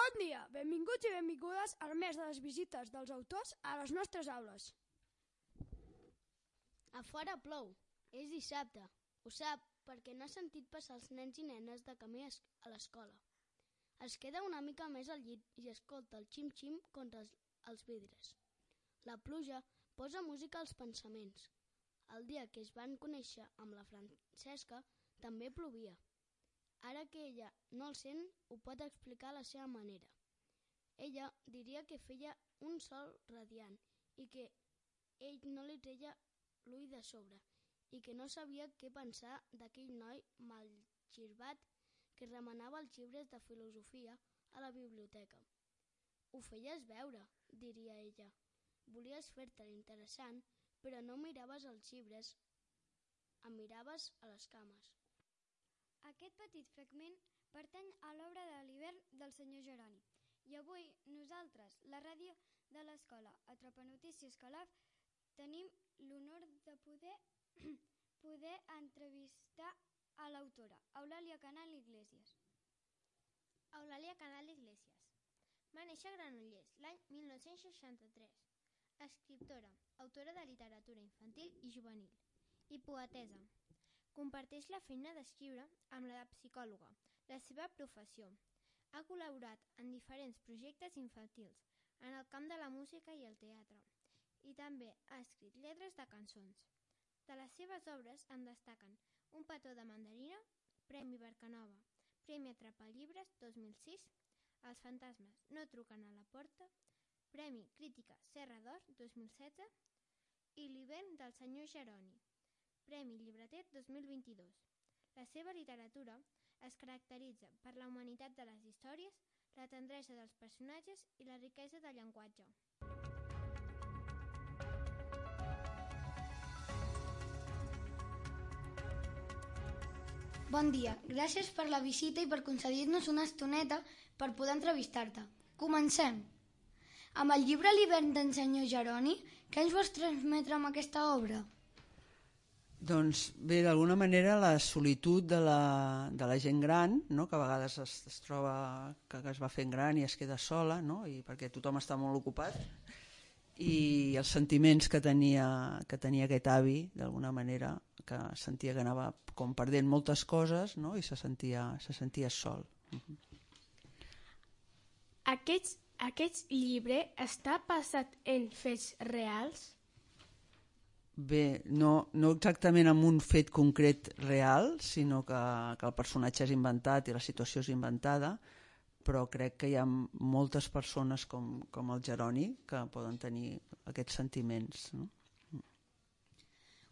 Bon dia, benvinguts i benvingudes al mes de les visites dels autors a les nostres aules. A fora plou, és dissabte. Ho sap perquè n'ha sentit passar els nens i nenes de camí a l'escola. Es queda una mica més al llit i escolta el xim-xim contra els vidres. La pluja posa música als pensaments. El dia que es van conèixer amb la Francesca també plovia. Ara que ella no el sent, ho pot explicar a la seva manera. Ella diria que feia un sol radiant i que ell no li treia l'ull de sobre i que no sabia què pensar d'aquell noi malgirbat que remenava els llibres de filosofia a la biblioteca. Ho feies veure, diria ella. Volies fer-te interessant, però no miraves els llibres, em miraves a les cames. Aquest petit fragment pertany a l'obra de l'hivern del senyor Jeroni. I avui nosaltres, la ràdio de l'escola Atrapanotícies Calaf, tenim l'honor de poder entrevistar a l'autora, Eulàlia Canal Iglesias. Eulàlia Canal Iglesias va néixer a Granollers l'any 1963. Escriptora, autora de literatura infantil i juvenil i poetessa. Comparteix la feina d'escriure amb la de psicòloga, la seva professió. Ha col·laborat en diferents projectes infantils en el camp de la música i el teatre i també ha escrit lletres de cançons. De les seves obres en destaquen Un petó de mandarina, Premi Barcanova, Premi Atrapallibres 2006, Els fantasmes no truquen a la porta, Premi Crítica Serra d'Or 2016 i L'hivern del senyor Jeroni, Premi Llibretet 2022. La seva literatura es caracteritza per la humanitat de les històries, la tendresa dels personatges i la riquesa del llenguatge. Bon dia, gràcies per la visita i per concedir-nos una estoneta per poder entrevistar-te. Comencem! Amb el llibre L'hivern d'en senyor Jeroni, què ens vols transmetre amb aquesta obra? Doncs bé, d'alguna manera la solitud de la gent gran, no? Que a vegades es troba que es va fent gran i es queda sola, no? I perquè tothom està molt ocupat, i els sentiments que tenia aquest avi, d'alguna manera, que sentia que anava com perdent moltes coses, no? I se sentia sol. Aquest llibre està basat en fets reals? Bé, no exactament en un fet concret real, sinó que el personatge és inventat i la situació és inventada, però crec que hi ha moltes persones com el Jeroni que poden tenir aquests sentiments. No?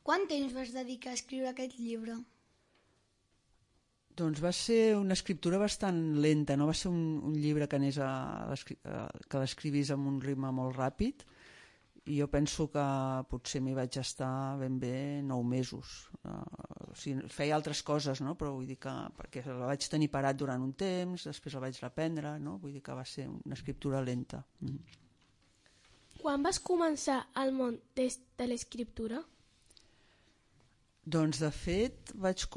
Quant temps vas dedicar a escriure aquest llibre? Doncs va ser una escriptura bastant lenta, no va ser un llibre que l'escrivís amb un ritme molt ràpid, i jo penso que potser m'hi vaig estar ben bé 9 mesos. O sigui, feia altres coses, no? Però vull dir que perquè la vaig tenir parat durant un temps, després la vaig reprendre, no? Vull dir que va ser una escriptura lenta. Quan vas començar al món de l'escriptura? Doncs de fet vaig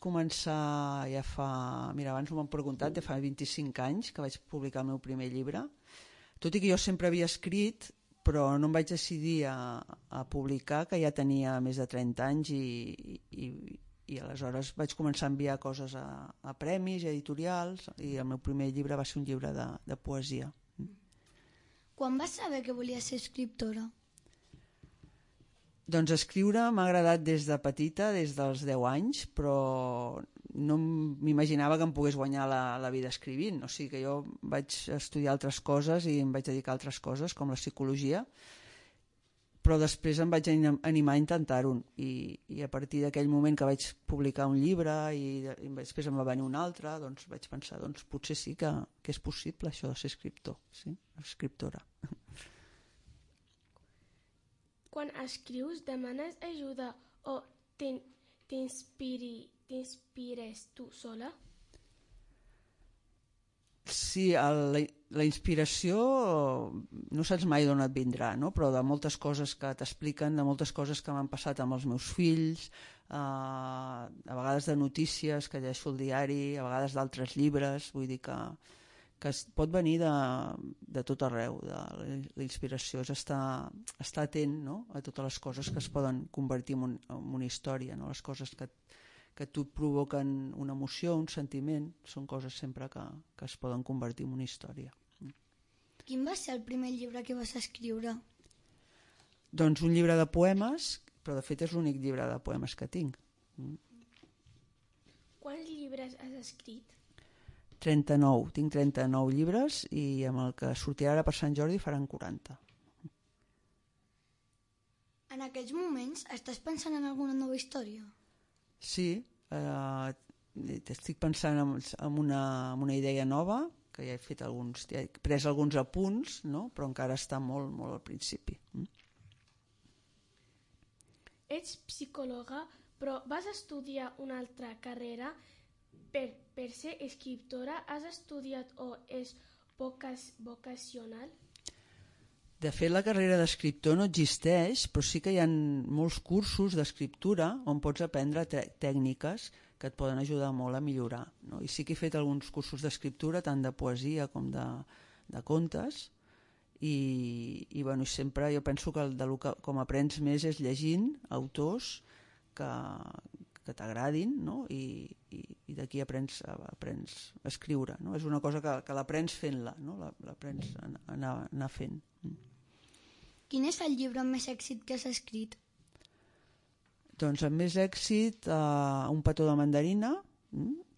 començar ja fa... Mira, abans m'ho han preguntat, ja fa 25 anys que vaig publicar el meu primer llibre. Tot i que jo sempre havia escrit, però no em vaig decidir a publicar, que ja tenia més de 30 anys i aleshores vaig començar a enviar coses a premis i editorials, i el meu primer llibre va ser un llibre de poesia. Quan vas saber que volies ser escriptora? Doncs escriure m'ha agradat des de petita, des dels 10 anys, però no m'imaginava que em pogués guanyar la vida escrivint. O sigui que jo vaig estudiar altres coses i em vaig dedicar a altres coses, com la psicologia, però després em vaig animar a intentar-ho. I a partir d'aquell moment que vaig publicar un llibre i després em va venir un altre, doncs vaig pensar, doncs potser sí que és possible això de ser escriptor, sí? Escriptora. Quan escrius, demanes ajuda o t'inspires tu sola? Sí, la inspiració no saps mai d'on et vindrà, no? Però de moltes coses que t'expliquen, de moltes coses que m'han passat amb els meus fills, a vegades de notícies que llegeixo al diari, a vegades d'altres llibres, vull dir que que pot venir de tot arreu, de la inspiració és estar atent, no?, a totes les coses que es poden convertir en una història, no? Les coses que tu et provoquen una emoció, un sentiment, són coses sempre que es poden convertir en una història. Quin va ser el primer llibre que vas escriure? Doncs un llibre de poemes, però de fet és l'únic llibre de poemes que tinc. Quants llibres has escrit? 39. Tinc 39 llibres i amb el que sortirà ara per Sant Jordi faran 40. En aquests moments estàs pensant en alguna nova història? Sí, estic pensant en una idea nova, que ja he pres alguns apunts, no? Però encara està molt, molt al principi. Ets psicòloga, però vas estudiar una altra carrera per ser escriptora. Has estudiat o és vocacional? De fet, la carrera d'escriptor no existeix, però sí que hi ha molts cursos d'escriptura on pots aprendre tècniques que et poden ajudar molt a millorar, no? I sí que he fet alguns cursos d'escriptura, tant de poesia com de contes, i bueno, sempre jo penso que com aprens més és llegint autors que t'agradin, no? I d'aquí aprens a escriure, no? És una cosa que l'aprens fent-la, no? L'aprens a anar fent. Quin és el llibre amb més èxit que has escrit? Doncs amb més èxit Un petó de mandarina,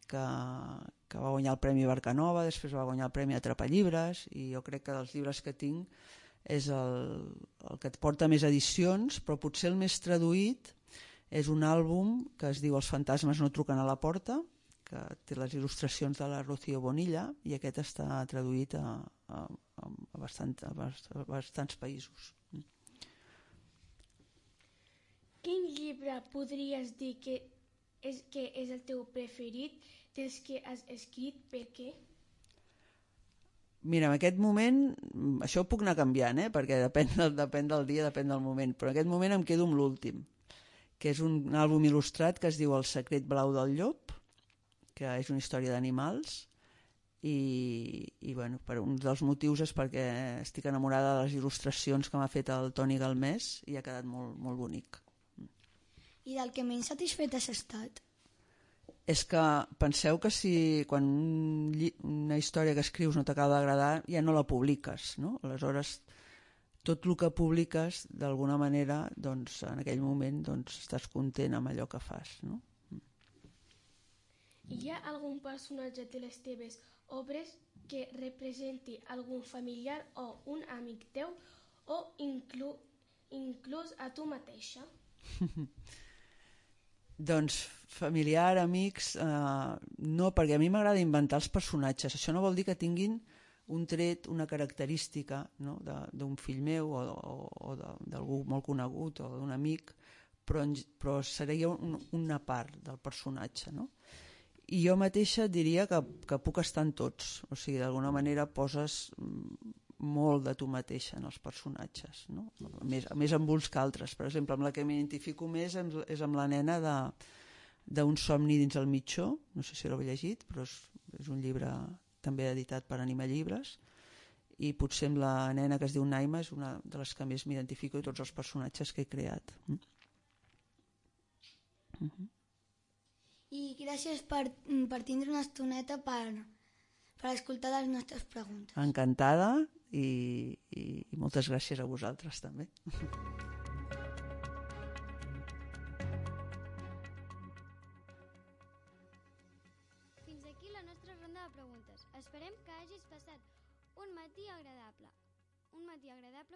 que va guanyar el Premi Barcanova, després va guanyar el Premi Atrapallibres, i jo crec que dels llibres que tinc és el que et porta més edicions, però potser el més traduït és un àlbum que es diu Els fantasmes no truquen a la porta, que té les il·lustracions de la Rocío Bonilla, i aquest està traduït a bastants països. Quin llibre podries dir que és el teu preferit dels que has escrit? Per què? Mira, en aquest moment, això ho puc anar canviant, perquè depèn del dia, depèn del moment, però en aquest moment em quedo amb l'últim, que és un àlbum il·lustrat que es diu El secret blau del llop, que és una història d'animals, i bueno, per un dels motius és perquè estic enamorada de les il·lustracions que m'ha fet el Toni Galmés i ha quedat molt, molt bonic. I del que menys satisfet has estat? És que penseu que si quan una història que escrius no t'acaba d'agradar ja no la publiques, no? Aleshores tot el que publiques d'alguna manera, doncs, en aquell moment estàs content amb allò que fas, no? Hi ha algun personatge de les teves obres que representi algun familiar o un amic teu o inclús a tu mateixa? Doncs familiar, amics, no, perquè a mi m'agrada inventar els personatges. Això no vol dir que tinguin un tret, una característica, no?, d'un fill meu o d'algú molt conegut o d'un amic, però seria una part del personatge, no? I jo mateixa diria que puc estar en tots, o sigui, d'alguna manera poses molt de tu mateixa en els personatges, no? Més amb uns que altres. Per exemple, amb la que m'identifico més és amb la nena d'un somni dins el mitjó, no sé si l'heu llegit, però és un llibre també editat per Anima Llibres, i potser amb la nena que es diu Naima és una de les que més m'identifico de tots els personatges que he creat. I gràcies per tindre una estoneta per escoltar les nostres preguntes. Encantada i moltes gràcies a vosaltres també. Fins aquí la nostra ronda de preguntes. Esperem que hagis passat un matí agradable amb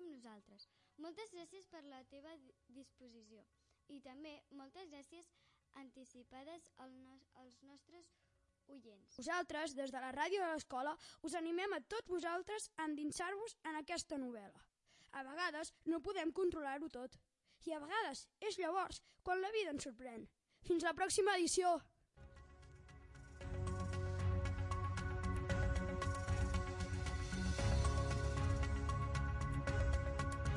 nosaltres. Moltes gràcies per la teva disposició i també moltes gràcies anticipades als nostres oients. Nosaltres, des de la ràdio de l'escola, us animem a tots vosaltres a endinsar-vos en aquesta novel·la. A vegades no podem controlar-ho tot. I a vegades és llavors quan la vida ens sorprèn. Fins la pròxima edició!